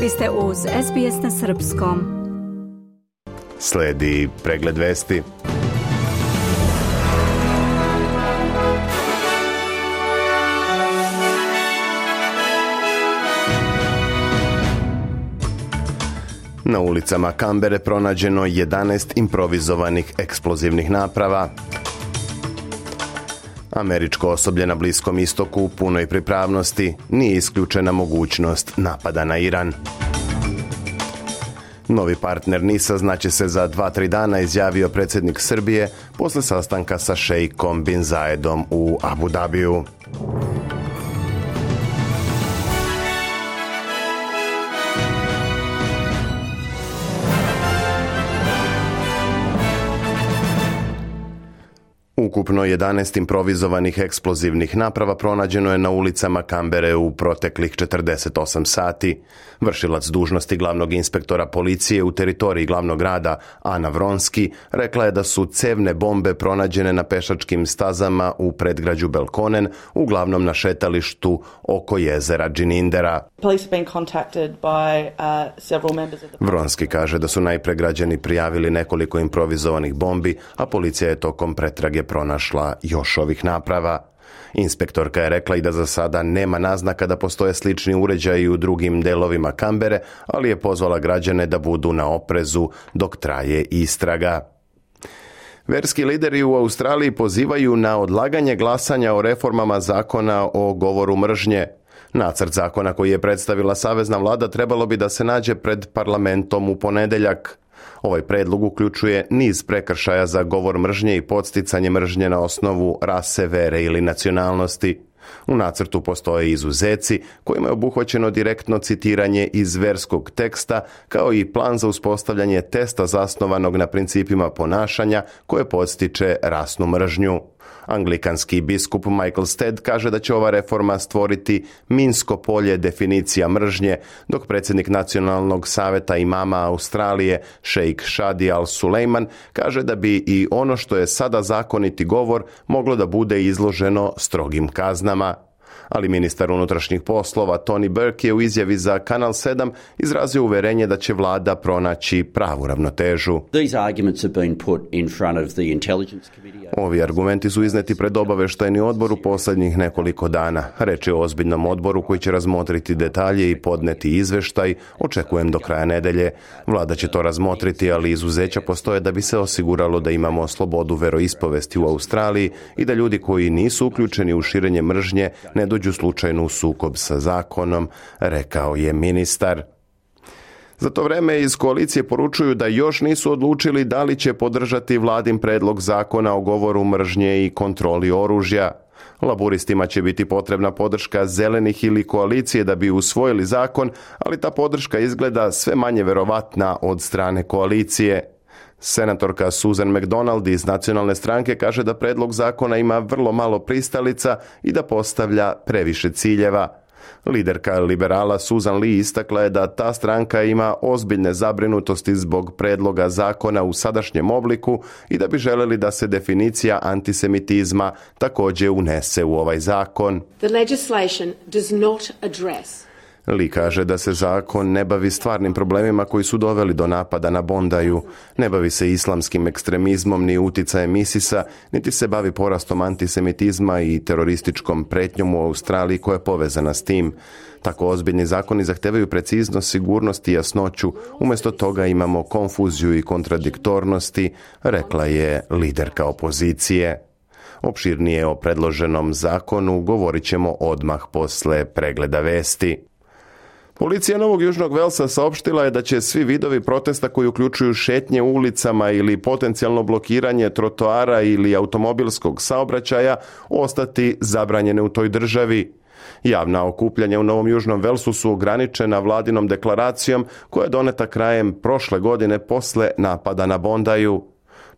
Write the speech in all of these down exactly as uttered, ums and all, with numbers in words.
Vi ste uz S B S na srpskom. Sledi pregled vesti. Na ulicama Kambere pronađeno jedanaest improvizovanih eksplozivnih naprava. Američko osoblje na Bliskom istoku u punoj pripravnosti, nije isključena mogućnost napada na Iran. Novi partner NIS-a znaće se za dva tri dana, izjavio predsjednik Srbije posle sastanka sa šejkom Bin Zayedom u Abu Dhabiju. Ukupno jedanaest improvizovanih eksplozivnih naprava pronađeno je na ulicama Kambere u proteklih četrdeset osam sati. Vršilac dužnosti glavnog inspektora policije u teritoriji glavnog grada, Ana Vronski, rekla je da su cevne bombe pronađene na pešačkim stazama u predgrađu Belkonen, uglavnom na šetalištu oko jezera Džinindera. Vronski kaže da su najpre građani prijavili nekoliko improvizovanih bombi, a policija je tokom pretrage pronašla još ovih naprava. Inspektorka je rekla i da za sada nema naznaka da postoje slični uređaji u drugim delovima Kambere, ali je pozvala građane da budu na oprezu dok traje istraga. Verski lideri u Australiji pozivaju na odlaganje glasanja o reformama zakona o govoru mržnje. Nacrt zakona koji je predstavila savezna vlada trebalo bi da se nađe pred parlamentom u ponedeljak. Ovaj predlog uključuje niz prekršaja za govor mržnje i podsticanje mržnje na osnovu rase, vere ili nacionalnosti. U nacrtu postoje izuzeci kojima je obuhvaćeno direktno citiranje iz verskog teksta, kao i plan za uspostavljanje testa zasnovanog na principima ponašanja koje podstiče rasnu mržnju. Anglikanski biskup Michael Stead kaže da će ova reforma stvoriti minsko polje definicija mržnje, dok predsjednik Nacionalnog saveta imama Australije, šejk Shadi al-Sulejman, kaže da bi i ono što je sada zakoniti govor moglo da bude izloženo strogim kaznama. Ali ministar unutrašnjih poslova Tony Burke je u izjavi za Kanal sedam izrazio uverenje da će vlada pronaći pravu ravnotežu. Ovi argumenti su izneti pred obaveštajni odbor u posljednjih nekoliko dana. Reč je o ozbiljnom odboru koji će razmotriti detalje i podneti izveštaj, očekujem do kraja nedelje. Vlada će to razmotriti, ali izuzeća postoje da bi se osiguralo da imamo slobodu veroispovesti u Australiji i da ljudi koji nisu uključeni u širenje mržnje ne dođu slučajno u sukob sa zakonom, rekao je ministar. Za to vreme iz koalicije poručuju da još nisu odlučili da li će podržati vladin predlog zakona o govoru mržnje i kontroli oružja. Laburistima će biti potrebna podrška zelenih ili koalicije da bi usvojili zakon, ali ta podrška izgleda sve manje verovatna od strane koalicije. Senatorka Susan McDonald iz Nacionalne stranke kaže da predlog zakona ima vrlo malo pristalica i da postavlja previše ciljeva. Liderka liberala Susan Lee istakla je da ta stranka ima ozbiljne zabrinutosti zbog predloga zakona u sadašnjem obliku i da bi želeli da se definicija antisemitizma također unese u ovaj zakon. The legislation does not address Lee kaže da se zakon ne bavi stvarnim problemima koji su doveli do napada na Bondaju, ne bavi se islamskim ekstremizmom ni uticajem ISIS-a, niti se bavi porastom antisemitizma i terorističkom pretnjom u Australiji koja je povezana s tim. Tako ozbiljni zakoni zahtevaju preciznost, sigurnost i jasnoću, umjesto toga imamo konfuziju i kontradiktornosti, rekla je liderka opozicije. Opširnije o predloženom zakonu govorit ćemo odmah posle pregleda vesti. Policija Novog Južnog Velsa saopštila je da će svi vidovi protesta koji uključuju šetnje ulicama ili potencijalno blokiranje trotoara ili automobilskog saobraćaja ostati zabranjene u toj državi. Javna okupljanja u Novom Južnom Velsu su ograničena vladinom deklaracijom koja je doneta krajem prošle godine posle napada na Bondaju.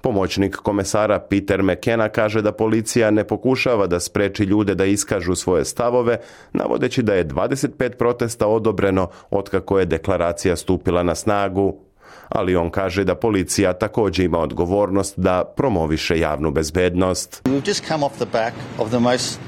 Pomoćnik komesara Peter McKenna kaže da policija ne pokušava da spreči ljude da iskažu svoje stavove, navodeći da je dvadeset pet protesta odobreno otkako je deklaracija stupila na snagu. Ali on kaže da policija također ima odgovornost da promoviše javnu bezbednost. We've just come off the back of the most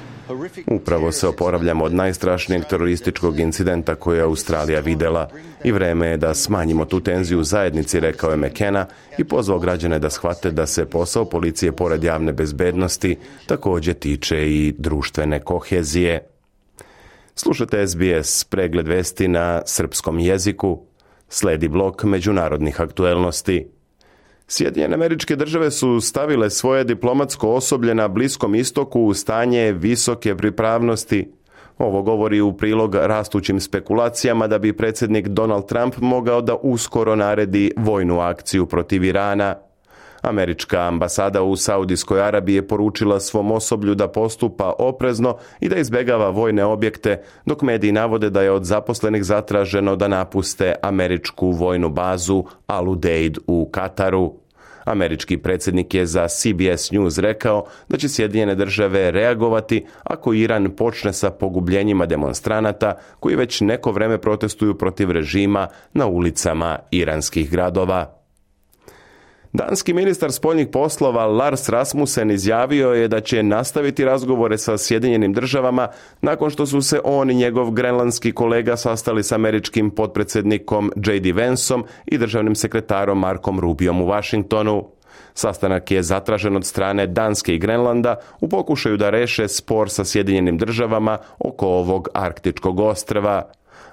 Upravo se oporavljamo od najstrašnijeg terorističkog incidenta koje je Australija videla i vreme je da smanjimo tu tenziju u zajednici, rekao je McKenna i pozvao građane da shvate da se posao policije pored javne bezbednosti također tiče i društvene kohezije. Slušate S B S, pregled vesti na srpskom jeziku. Sledi blok međunarodnih aktuelnosti. Sjedinjene Američke Države su stavile svoje diplomatsko osoblje na Bliskom istoku u stanje visoke pripravnosti. Ovo govori u prilog rastućim spekulacijama da bi predsjednik Donald Trump mogao da uskoro naredi vojnu akciju protiv Irana. Američka ambasada u Saudijskoj Arabiji je poručila svom osoblju da postupa oprezno i da izbjegava vojne objekte, dok mediji navode da je od zaposlenih zatraženo da napuste američku vojnu bazu Al Udeid u Kataru. Američki predsjednik je za C B S News rekao da će Sjedinjene Države reagovati ako Iran počne sa pogubljenjima demonstranata koji već neko vreme protestuju protiv režima na ulicama iranskih gradova. Danski ministar spoljnih poslova Lars Rasmussen izjavio je da će nastaviti razgovore sa Sjedinjenim Državama nakon što su se on i njegov grenlandski kolega sastali s američkim potpredsjednikom J D Vanceom i državnim sekretarom Markom Rubiom u Washingtonu. Sastanak je zatražen od strane Danske i Grenlanda u pokušaju da reše spor sa Sjedinjenim Državama oko ovog arktičkog ostrva.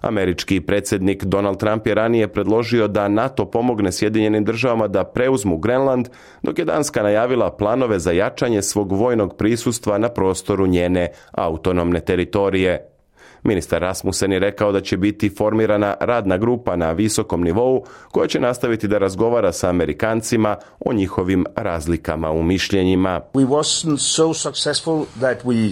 Američki predsjednik Donald Trump je ranije predložio da NATO pomogne Sjedinjenim Državama da preuzmu Grenland, dok je Danska najavila planove za jačanje svog vojnog prisustva na prostoru njene autonomne teritorije. Ministar Rasmussen je rekao da će biti formirana radna grupa na visokom nivou koja će nastaviti da razgovara sa Amerikancima o njihovim razlikama u mišljenjima. We wasn't so successful that we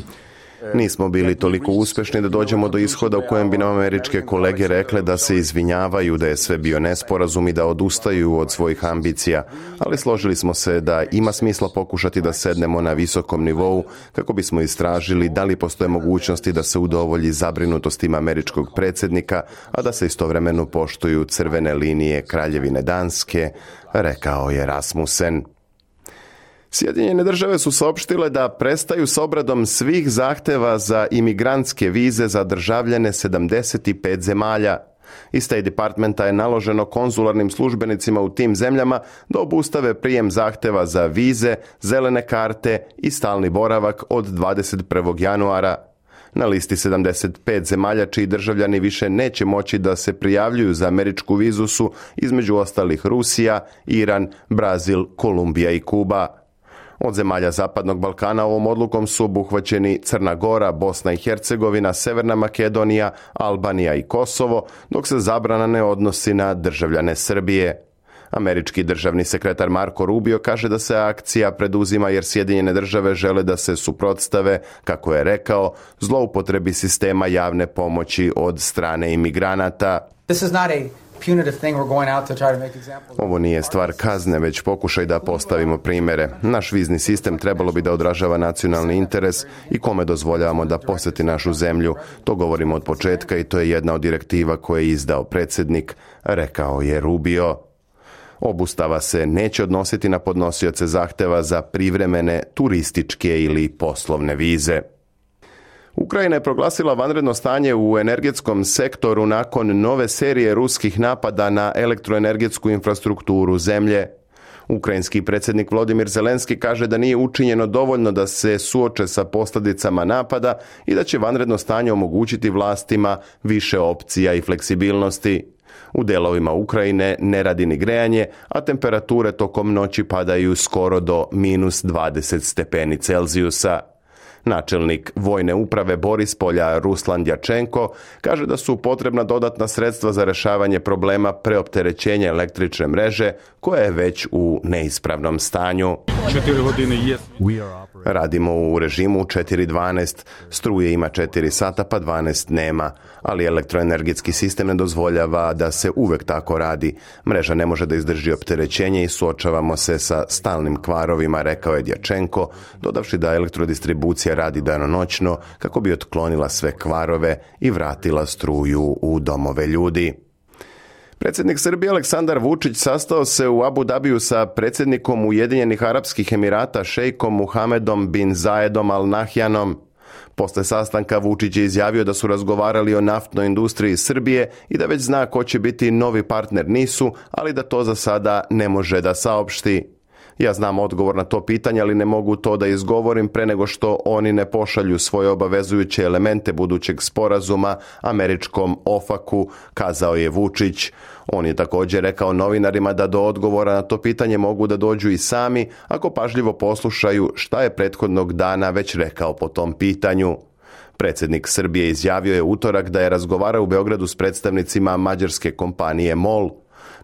Nismo bili toliko uspješni da dođemo do ishoda u kojem bi nam američke kolege rekle da se izvinjavaju, da je sve bio nesporazum i da odustaju od svojih ambicija, ali složili smo se da ima smisla pokušati da sednemo na visokom nivou kako bismo istražili da li postoje mogućnosti da se udovolji zabrinutostima američkog predsjednika, a da se istovremeno poštuju crvene linije Kraljevine Danske, rekao je Rasmussen. Sjedinjene Države su saopštile da prestaju s obradom svih zahteva za imigrantske vize za državljane sedamdeset pet zemalja. Iz State Departmenta je naloženo konzularnim službenicima u tim zemljama da obustave prijem zahteva za vize, zelene karte i stalni boravak od dvadeset prvog januara. Na listi sedamdeset pet zemalja čiji državljani više neće moći da se prijavljuju za američku vizu su između ostalih Rusija, Iran, Brazil, Kolumbija i Kuba. Od zemalja Zapadnog Balkana ovom odlukom su obuhvaćeni Crna Gora, Bosna i Hercegovina, Severna Makedonija, Albanija i Kosovo, dok se zabrana ne odnosi na državljane Srbije. Američki državni sekretar Marko Rubio kaže da se akcija preduzima jer Sjedinjene Države žele da se suprotstave, kako je rekao, zloupotrebi sistema javne pomoći od strane imigranata. This is not a punitive thing we're going out to try to make examples. Ovo nije stvar kazne, već pokušaj da postavimo primjere. Naš vizni sistem trebalo bi da odražava nacionalni interes i kome dozvoljavamo da posjeti našu zemlju. To govorimo od početka i to je jedna od direktiva koje je izdao predsjednik, rekao je Rubio. Obustava se neće odnositi na podnosioce zahteva za privremene turističke ili poslovne vize. Ukrajina je proglasila vanredno stanje u energetskom sektoru nakon nove serije ruskih napada na elektroenergetsku infrastrukturu zemlje. Ukrajinski predsjednik Volodymyr Zelenski kaže da nije učinjeno dovoljno da se suoče sa posljedicama napada i da će vanredno stanje omogućiti vlastima više opcija i fleksibilnosti. U delovima Ukrajine ne radi ni grejanje, a temperature tokom noći padaju skoro do minus dvadeset stepeni Celzijusa. Načelnik vojne uprave Borispolja Ruslan Djačenko kaže da su potrebna dodatna sredstva za rješavanje problema preopterećenja električne mreže koja je već u neispravnom stanju. Radimo u režimu četiri dvanaest, struje ima četiri sata pa dvanaest nema, ali elektroenergetski sistem ne dozvoljava da se uvek tako radi. Mreža ne može da izdrži opterećenje i suočavamo se sa stalnim kvarovima, rekao je Djačenko, dodavši da elektrodistribucija radi danonoćno kako bi otklonila sve kvarove i vratila struju u domove ljudi. Predsjednik Srbije Aleksandar Vučić sastao se u Abu Dabiju sa predsjednikom Ujedinjenih Arapskih Emirata šejkom Muhamedom bin Zayedom Al Nahjanom. Posle sastanka Vučić je izjavio da su razgovarali o naftnoj industriji Srbije i da već zna ko će biti novi partner Nisu, ali da to za sada ne može da saopšti. Ja znam odgovor na to pitanje, ali ne mogu to da izgovorim pre nego što oni ne pošalju svoje obavezujuće elemente budućeg sporazuma američkom OFAC-u, kazao je Vučić. On je također rekao novinarima da do odgovora na to pitanje mogu da dođu i sami ako pažljivo poslušaju šta je prethodnog dana već rekao po tom pitanju. Predsjednik Srbije izjavio je utorak da je razgovarao u Beogradu s predstavnicima mađarske kompanije MOL.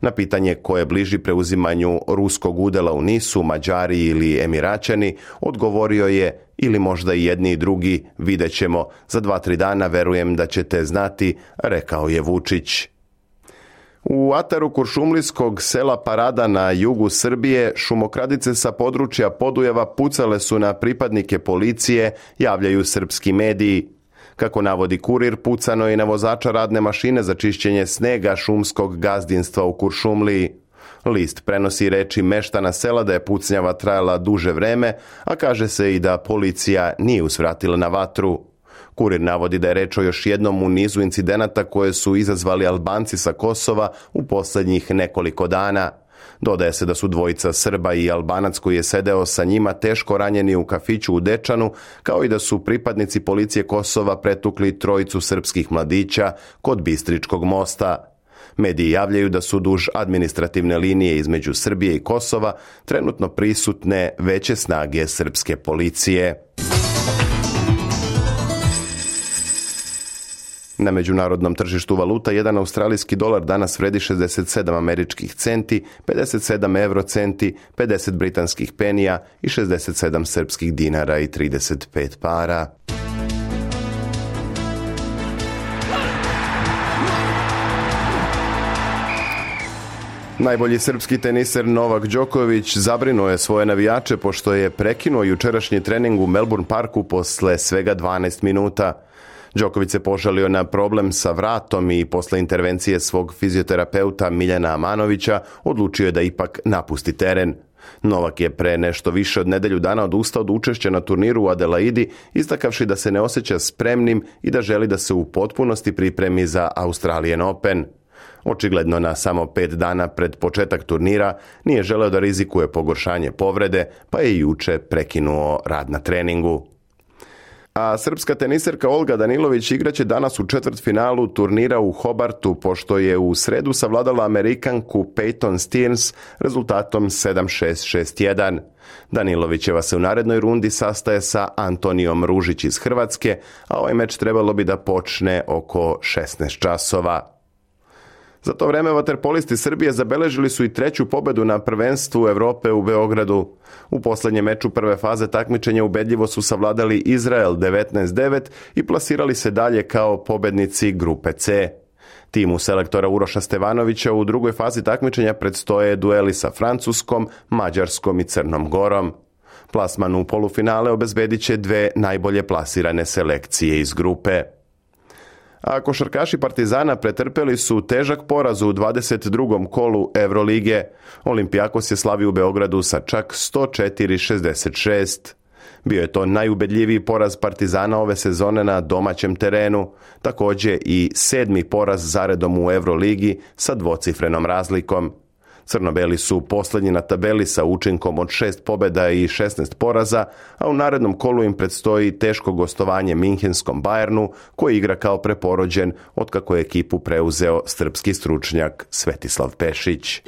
Na pitanje ko je bliži preuzimanju ruskog udela u Nisu, Mađari ili Emiraćani, odgovorio je ili možda i jedni i drugi, vidjet ćemo, za dva, tri dana verujem da ćete znati, rekao je Vučić. U ataru kuršumlijskog sela Parada na jugu Srbije šumokradice sa područja Podujeva pucale su na pripadnike policije, javljaju srpski mediji. Kako navodi Kurir, pucano je i na vozača radne mašine za čišćenje snega šumskog gazdinstva u Kuršumliji. List prenosi reči meštana sela da je pucnjava trajala duže vreme, a kaže se i da policija nije usvratila na vatru. Kurir navodi da je reč o još jednom u nizu incidenata koje su izazvali Albanci sa Kosova u posljednjih nekoliko dana. Dodaje se da su dvojica Srba i Albanac koji je sedeo sa njima teško ranjeni u kafiću u Dečanu, kao i da su pripadnici policije Kosova pretukli trojicu srpskih mladića kod Bistričkog mosta. Mediji javljaju da su duž administrativne linije između Srbije i Kosova trenutno prisutne veće snage srpske policije. Na međunarodnom tržištu valuta jedan australijski dolar danas vredi šezdeset sedam američkih centi, pedeset sedam euro centi, pedeset britanskih penija i šezdeset sedam srpskih dinara i trideset pet para. Najbolji srpski teniser Novak Đoković zabrinuo je svoje navijače pošto je prekinuo jučerašnji trening u Melbourne Parku posle svega dvanaest minuta. Đoković se požalio na problem sa vratom i posle intervencije svog fizioterapeuta Miljana Amanovića odlučio je da ipak napusti teren. Novak je pre nešto više od nedelju dana odustao od učešća na turniru u Adelaidi, istakavši da se ne osjeća spremnim i da želi da se u potpunosti pripremi za Australian Open. Očigledno na samo pet dana pred početak turnira nije želeo da rizikuje pogoršanje povrede, pa je juče prekinuo rad na treningu. A srpska teniserka Olga Danilović igraće danas u četvrtfinalu turnira u Hobartu, pošto je u sredu savladala Amerikanku Peyton Stearns rezultatom sedam šest, šest jedan. Danilovićeva se u narednoj rundi sastaje sa Antonijom Ružić iz Hrvatske, a ovaj meč trebalo bi da počne oko šesnaest časova. Za to vreme vaterpolisti Srbije zabeležili su i treću pobedu na prvenstvu Evrope u Beogradu. U posljednjem meču prve faze takmičenja ubedljivo su savladali Izrael devetnaest devet i plasirali se dalje kao pobednici grupe C. Timu selektora Uroša Stevanovića u drugoj fazi takmičenja predstoje dueli sa Francuskom, Mađarskom i Crnom Gorom. Plasman u polufinale obezbedit će dve najbolje plasirane selekcije iz grupe. A košarkaši Partizana pretrpeli su težak poraz u dvadeset drugom kolu Evrolige. Olimpijakos je slavio u Beogradu sa čak sto četiri šezdeset šest. Bio je to najubedljiviji poraz Partizana ove sezone na domaćem terenu, također i sedmi poraz zaredom u Evroligi sa dvocifrenom razlikom. Crnobeli su posljednji na tabeli sa učinkom od šest pobjeda i šesnaest poraza, a u narednom kolu im predstoji teško gostovanje Minhenskom Bayernu, koji igra kao preporođen otkako je ekipu preuzeo srpski stručnjak Svetislav Pešić.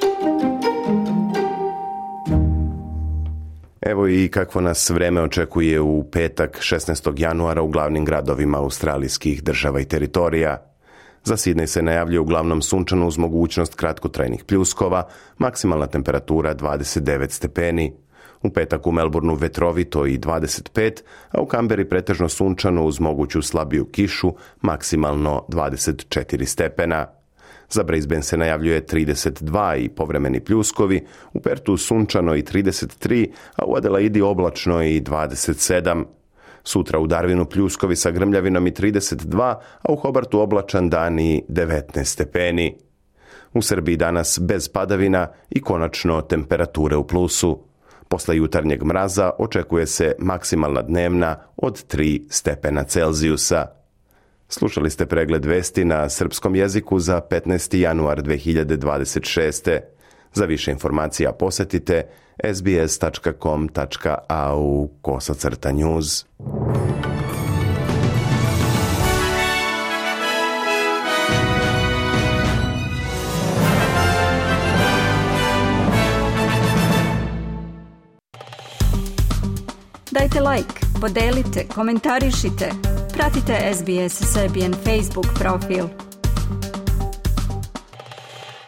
Evo i kakvo nas vreme očekuje u petak šesnaestog januara u glavnim gradovima australijskih država i teritorija. Za Sidney se najavljuje uglavnom sunčano uz mogućnost kratkotrajnih pljuskova, maksimalna temperatura dvadeset devet stepeni. U petak u Melbourneu vetrovito i dvadeset pet, a u Kamberi pretežno sunčano uz moguću slabiju kišu, maksimalno dvadeset četiri stepena. Za Brisbane se najavljuje trideset dva i povremeni pljuskovi, u Pertu sunčano i trideset tri, a u Adelaidi oblačno i dvadeset sedam. Sutra u Darwinu pljuskovi sa grmljavinom i trideset dva, a u Hobartu oblačan dan i devetnaest stepeni. U Srbiji danas bez padavina i konačno temperature u plusu. Posle jutarnjeg mraza očekuje se maksimalna dnevna od tri stepena Celzijusa. Slušali ste pregled vesti na srpskom jeziku za petnaesti januar dve hiljade dvadeset šeste. Za više informacija posetite sbs tačka com tačka a u kosacrta news. Dajte like, podelite, komentarišite. Pratite S B S Serbian Facebook profil.